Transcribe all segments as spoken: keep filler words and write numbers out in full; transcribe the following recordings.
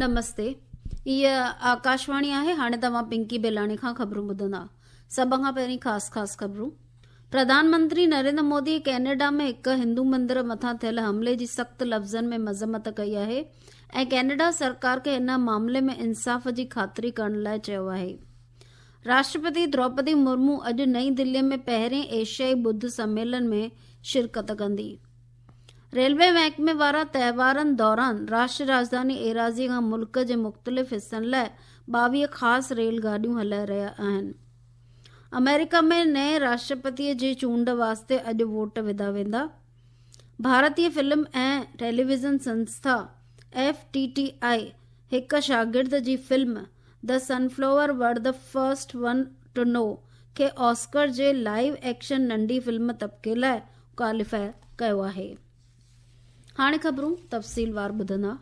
نمستي، هيء آڪاشواڻي آهي. هاڻي توهان پنڪي بيلاڻي کان خبرون ٻڌندا. سڀ کان پهرين خاص خاص خبرون. پرڌان منتري نريندر مودي ڪينيڊا ۾ هڪ هندو مندر مٿان ٿيل حملي جي سخت لفظن ۾ مذمت ڪئي آهي ۽ ڪينيڊا سرڪار کي ان معاملي ۾ انصاف جي خاطري ڪرڻ لاء چيو آهي. راشٽرپتي دروپدي مرمو اڄ نئين دلي ۾ پهرين ايشيائي ٻڌ سميلن ۾ شرڪت ڪندي. ريلوي محڪمي وارا تهوارن دوران راشٽر راڄڌاني ايراضي کان ملڪ جي مختلف حصن لاءِ ٻاويهه خاص ريل گاڏيون هلائي رهيا آهن. آمريڪا ۾ نئين راشٽرپتي جي چونڊ واسطي اڄ ووٽ وڌا ويندا. Bharatiya film ۽ television Sanstha F T T I هڪ شاگرد جي film the sunflower were the first one to know کي آسڪر جي لائيو ايڪشن ننڍي فلم طبقي لاءِ ڪواليفائي ڪيو آهي. هاڻي خبرون تفصيلوار ٻڌندا.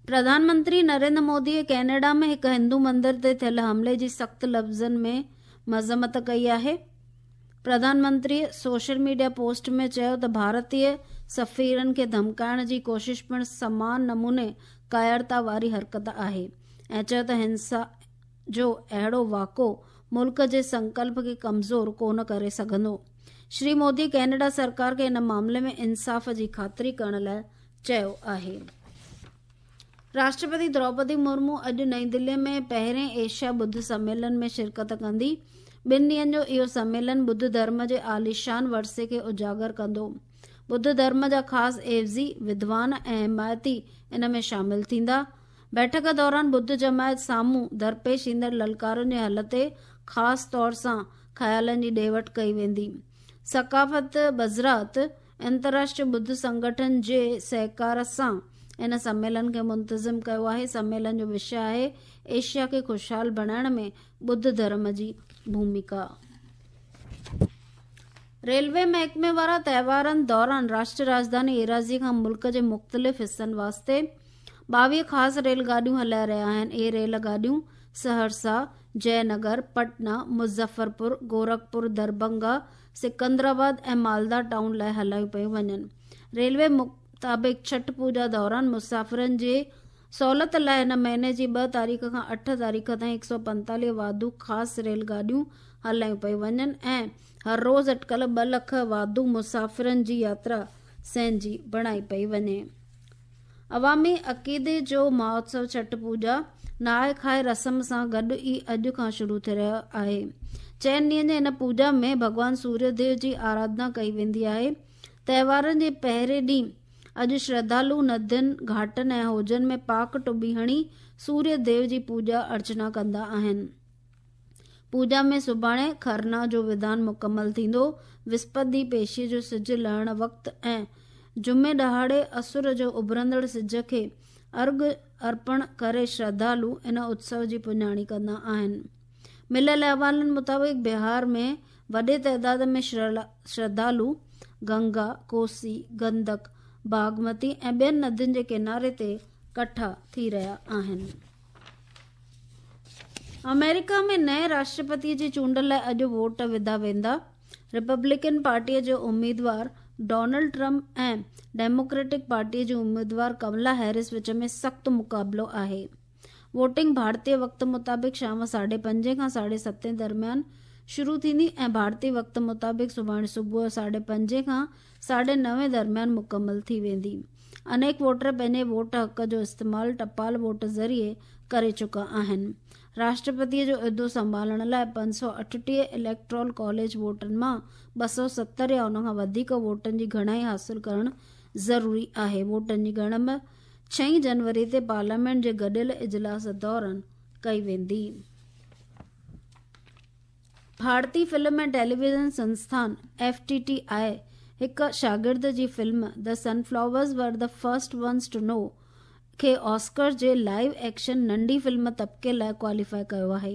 پرڌان منتري نريندر مودي ڪينيڊا ۾ هڪ هندو مندر تي ٿيل حملي جي سخت لفظن ۾ مذمت ڪئي آهي. Pradhan Mantri social media post ۾ چيو ته ڀارتيه سفيرن کي ڌمڪائڻ جي ڪوشش پڻ سمان نموني ڪائرتا واري حرڪت آهي ۽ چيو ته هنسا جو اهڙو واقعو ملڪ جي سنڪلپ کي ڪمزور ڪونه ڪري سگهندو. شري مودي ڪينيڊا سرڪار کي ان معاملي ۾ انصاف جي خاطري ڪرڻ لاءِ چيو آهي. راشٽرپتي دروپدي مرمو اڄ نئين دلي ۾ پهرين ايشيا ٻڌ سميلن ۾ شرڪت ڪندي. ٻن ڏينهن جو اهو سميلن ٻڌ ڌرم جي عاليشان ورثي کي اجاگر ڪندو. ٻڌ ڌرم جا خاص عيوضي، ودوان ۽ حمايتي ان ۾ شامل ٿيندا. بيٺڪ دوران ٻڌ جماعت سامهون درپيش ايندڙ للڪارن جي حل تي خاص طور سان خيالن جي ڏي وٺ ڪئي ويندي. ثقافت وزارت انترراشٽريه ٻڌ سنگٺن جي سهڪار سان ان سميلن کي منتظم ڪيو آهي. سميلن جو وشي آهي ايشيا کي خوشحال بڻائڻ ۾ ٻڌ ڌرم جي ڀومڪا. ريلوي محڪمي وارا تهوارن دوران راشٽر راڄڌاني ايراضي کان ملڪ جي مختلف حصن واسطي ٻاويهه خاص ريل گاڏيون هلائي رهيا آهن. اهي ريل گاڏيون سهرسا، جئي نگر، پٽنا، مظفرپور، گورکپور، درڀنگا، سڪندرآباد ۽ مالدا ٽائون لاءِ هلايون پيون وڃن. ريلوي مطابق ڇٺ پوڄا دوران مسافرن جي سهولت لاءِ هن مهيني جي ٻه تاريخ کان اٺ تاريخ تائين هڪ سؤ پنتاليهه واڌو خاص ريل گاڏيون هلايون پيون وڃن ۽ هر روز اٽڪل ٻه لک واڌو مسافرن جي ياترا سهنجي بڻائي پئي وڃي. عوامي عقيدي جو مهوتسو ڇٺ پوڄا نهائي کائي رسم سان گڏ ئي اڄ کان شروع ٿي رهيو آهي. چئن ڏينهن جي هن پوڄا ۾ ڀڳوان سوريه ديو جي آراڌنا ڪئي ويندي آهي. تهوارن جي پهرين ڏينهن اڄ شرڌالو ندين، گهاٽن ۽ حوضن ۾ پاڪ ٽٻي هڻي سوريه ديو جي پوڄا ارچنا ڪندا آهن. پوڄا ۾ سڀاڻي کرنا جو وڌان مڪمل ٿيندو. وسپت ڏينهن پيشي جو سج لهڻ وقت ۽ جمعي ڏهاڙي اسر جو اڀرندڙ سج کي ارگ ارپڻ ڪري شرڌالو ان اتسو جي پڄاڻي ڪندا آهن. مليل احوالن مطابق بهار ۾ وڏي تعداد ۾ شرڌالو گنگا، ڪوسي، گندڪ، باگمتي ۽ ٻين ندين جي ڪناري تي ڪٺا ٿي رهيا آهن. آمريڪا ۾ نئين راشٽرپتي جي چونڊ لاءِ اڄ ووٽ وڌا ويندا. ريپبلڪن پارٽيءَ جو اميدوار ڊونلڊ ٽرمپ ۽ ڊيموڪريٽڪ پارٽيءَ جي اميدوار ڪملا هيرس وچ ۾ سخت مقابلو آهي. ووٽنگ ڀارتيه وقت مطابق شام ساڍي پنجين کان ساڍي ستين درميان شروع ٿيندي ۽ ڀارتيه وقت مطابق سڀاڻي صبح جو ساڍي پنجين کان ساڍي نوين درميان مڪمل ٿي ويندي. انيڪ ووٽر پنهنجي ووٽ حق جو استعمال ٽپال ووٽ ذريعي ڪري چڪا آهن. راشٽرپتيءَ جو عهدو سنڀالڻ لاءِ پنج سؤ اٺٽيهه اليڪٽرول ڪاليج ووٽن مان ٻه سؤ ستر يا ان کان وڌيڪ ووٽن جي گهڻائي حاصل ڪرڻ ضروري آهي. ووٽن جي ڳڻپ ڇهين جنوري تي پارليامينٽ جي گڏيل اجلاس دوران ڪئي ويندي. Bharatiya film ۽ television Sansthan F T T I هڪ شاگرد جي film the sunflowers were the first ones to know کي آسڪر جي لائيو ايڪشن ننڍي فلم طبقي لاءِ ڪواليفائي ڪيو آهي.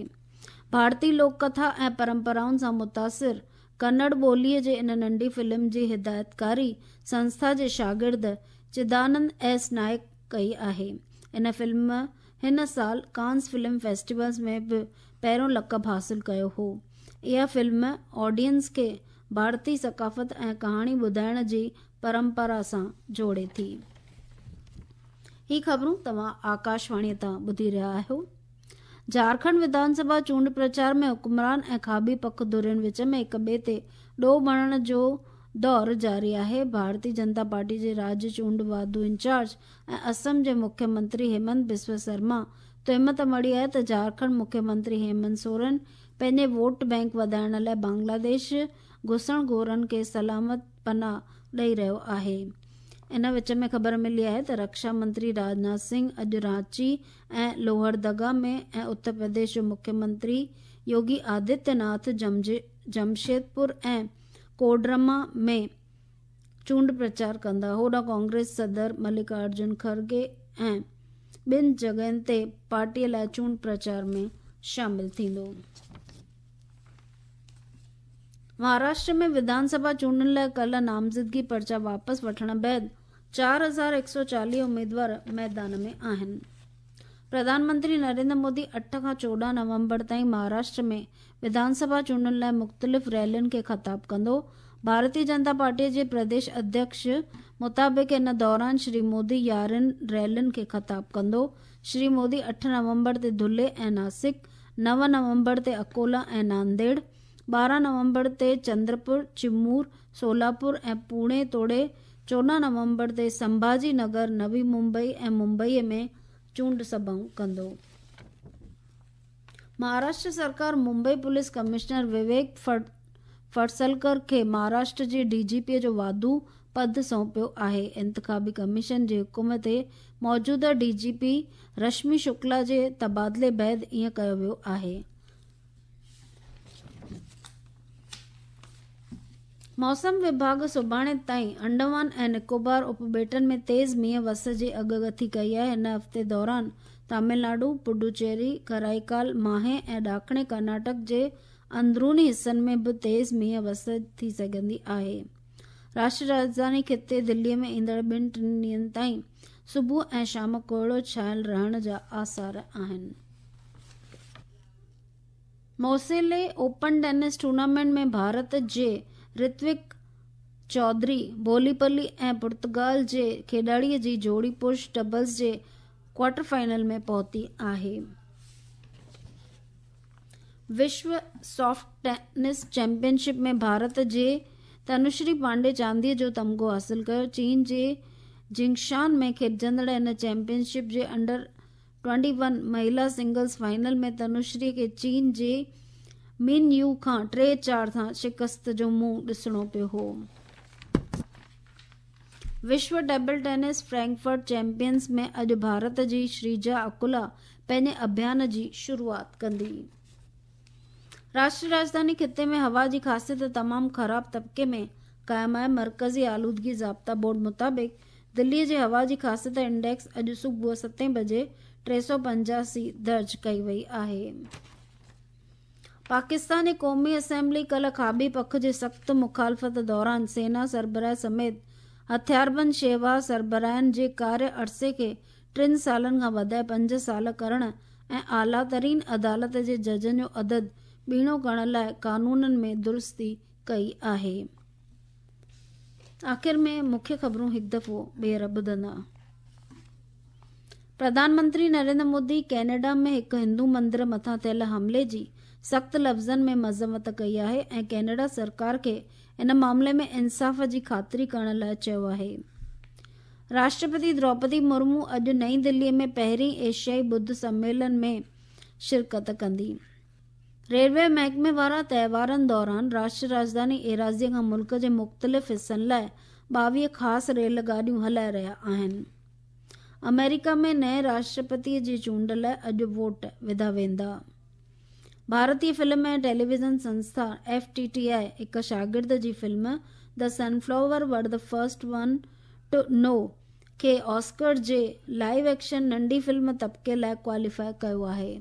ڀارتيه لوڪ ڪٿا ۽ پرمپرائن سان متاثر ڪنڙ ٻوليءَ جي ان ننڍي فلم جي هدايتڪاري سنسٿا جي شاگرد چدانند ايس نائڪ ڪئي آهي. ان فلم هن سال ڪانس فلم فيسٽيولز ۾ به پهريون لقب حاصل ڪيو هو. اها فلم آڊينس کي ڀارتيه ثقافت ۽ ڪهاڻي ٻڌائڻ جي پرمپرا سان جوڙي ٿي. ही ख़बरूं तव्हां आकाशवाणीअ तां ॿुधी रहिया आहियो। झारखंड विधानसभा चूंड प्रचार में हुक्मरान ऐं खाॿी पख धुरियुनि विच में हिक ॿिए ते ॾोह मढ़ण जो दौर जारी आहे। भारतीय जनता पार्टी जे राज्य चूंड वाधू इंचार्ज ऐं असम जे मुख्यमंत्री हेमंत बिस्व शर्मा तोहमत मढ़ी आहे त झारखंड मुख्यमंत्री हेमंत सोरेन पंहिंजे वोट बैंक वधाइण लाइ बांग्लादेश घुसण घोरनि खे सलामत पनाह ॾेई रहियो आहे। इन विच में ख़बर मिली आहे त रक्षा मंत्री राजनाथ सिंह अॼु रांची ऐं लोहरदगा में ऐं उत्तर प्रदेश जो मुख्यमंत्री योगी आदित्यनाथ जमशेदपुर ऐं कोडरमा में चूंड प्रचार कंदा। होॾां कांग्रेस सदर मल्लिकार्जुन खड़गे ऐं ॿिनि जॻहियुनि ते पार्टीअ लाइ चूंड प्रचार में शामिल थींदो। महाराष्ट्र में विधानसभा चूंडुनि लाइ कल्ह नामज़दगी पर्चा वापसि वठण बाद चारि हज़ार हिकु सौ चालीह उमेदवार मैदान में आहिनि। प्रधानमंत्री नरेंद्र मोदी अठ खां चोॾहं नवंबर ताईं महाराष्ट्र में विधानसभा चूंडुनि लाइ मुख़्तलिफ़ रैलियुनि खे ख़िताब कंदो। भारतीय जनता पार्टीअ जे प्रदेश अध्यक्ष मुताबिक़ इन दौरान श्री मोदी यारहं रैलियुनि खे ख़िताब कंदो। श्री मोदी अठ नवंबर ते धुले ऐं नासिक, नव नवंबर ते अकोला ऐं नांदेड़, ॿारहं नवंबर ते चंद्रपुर, चिमूर, सोलापुर ऐं पुणे तोड़े चोॾहं नवंबर ते संभाजी नगर, नवी मुंबई ऐं मुंबईअ में चूंड सभाऊं कंदो। महाराष्ट्र सरकार मुंबई पुलिस कमिश्नर विवेक फडसलकर खे महाराष्ट्र जे डीजीपीअ जो वाधू पद सौंपियो आहे। इंतिखाबी कमीशन जे हुकुम ते मौजूदा डीजीपी रश्मि शुक्ला जे तबादिले बाद ईअं कयो वियो आहे। मौसम विभाग सुभाणे ताईं अंडमान ऐं निकोबार उपॿेटनि में तेज़ मींहुं वस जी अॻकथी कई आहे। हिन हफ़्ते दौरान तमिलनाडु, पुडुचेरी, कराईकाल, माहे ऐं ॾाखिणी कर्नाटक जे अंदरूनी हिसनि में बि तेज़ मींहुं वस थी सघंदी आहे। राष्ट्रीय राजधानी ख़िते दिल्लीअ में ईंदड़ ॿिनि टिनि ॾींहंनि ताईं सुबुह ऐं शाम कोहिड़ो छायल रहण जा आसार आहिनि। मोसेले ओपन टेनिस टूर्नामेंट में भारत जे ऋत्विक चौधरी बोलीपल्ली ऐं पुर्तगाल जे खेॾाड़ीअ जी जोड़ी पुरुष डबल्स जे क्वार्टर फाइनल में पहुती आहे। विश्व सॉफ्ट टेनिस चैंपियनशिप में भारत जे तनुश्री पांडे चांदीअ जो तमगो हासिल कयो। चीन जे जिंगशान में खेॾिजंदड़ हिन चैंपियनशिप जे अंडर ट्वेंटी वन महिला सिंगल्स फाइनल में तनुश्री खे चीन जे मिन you खां टे चारि सां शिकस्त जो मुंहुं ॾिसणो पियो हो। विश्व टेबल टेनिस फ्रैंकफर्ट चैंपियंस में अॼु भारत जी श्रीजा अकुला पंहिंजे अभियान जी शुरूआत कंदी। राष्ट्रीय राजधानी ख़िते में हवा जी ख़ासियत तमामु ख़राब तबिके में क़ाइमु आहे। मरकज़ी आलूदगी ज़ाब्ता बोर्ड मुताबिक़ दिल्लीअ जे हवा जी ख़ासियत इंडेक्स अॼु सुबुह सतें बजे टे सौ पंजासी दर्ज कई वई आहे। पाकिस्तान जी क़ौमी असेंबली कल्ह खाॿी पख जे सख़्त मुखालफ़त दौरान सेना सरबराह समेत हथियारबंद शेवा सरबराहनि जे कार्य अरसे खे टिनि सालनि खां वधाए पंज साल करण ऐं आला तरीन अदालत जे जजनि जो अदद ॿीणो करण लाइ कानूननि में दुरुस्ती कई आहे। आख़िर में मुख्य ख़बरूं हिकु दफ़ो ॿीहर ॿुधंदा। प्रधानमंत्री नरेंद्र मोदी कनाडा में हिकु हिंदू मंदिर मथां थियल हमले जी सख़्त लफ़्ज़नि में मज़म्मत कई आहे ऐं कनाडा सरकार खे इन मामले में इंसाफ़ जी ख़ातिरी करण लाइ चयो आहे। राष्ट्रपति द्रौपदी मुर्मू अॼु नई दिल्लीअ में पहिरीं एशियाई ॿुद्ध सम्मेलन में शिरकत कंदी। रेलवे महकमे वारा त्योहारनि दौरान राष्ट्रीय राजधानी एराज़ीअ खां मुल्क जे मुख़्तलिफ़ हिसनि लाइ ॿावीह ख़ासि रेल गाॾियूं हलाए रहिया आहिनि। अमेरिका में नए राष्ट्रपतीअ जी चूंड लाइ अॼु वोट विधा वेंदा। भारतीय फिल्म ऐं टेलीविज़न संस्था एफ टी टी I हिकु शागिर्द जी film the sunflower were the first one to know खे ऑस्कर जे लाइव एक्शन नंढी फिल्म तबिके लाइ क्वालीफाई कयो आहे।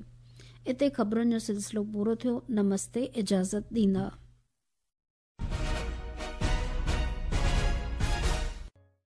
हिते ख़बरुनि जो सिलसिलो पूरो थियो। नमस्ते, इजाज़त ॾींदा।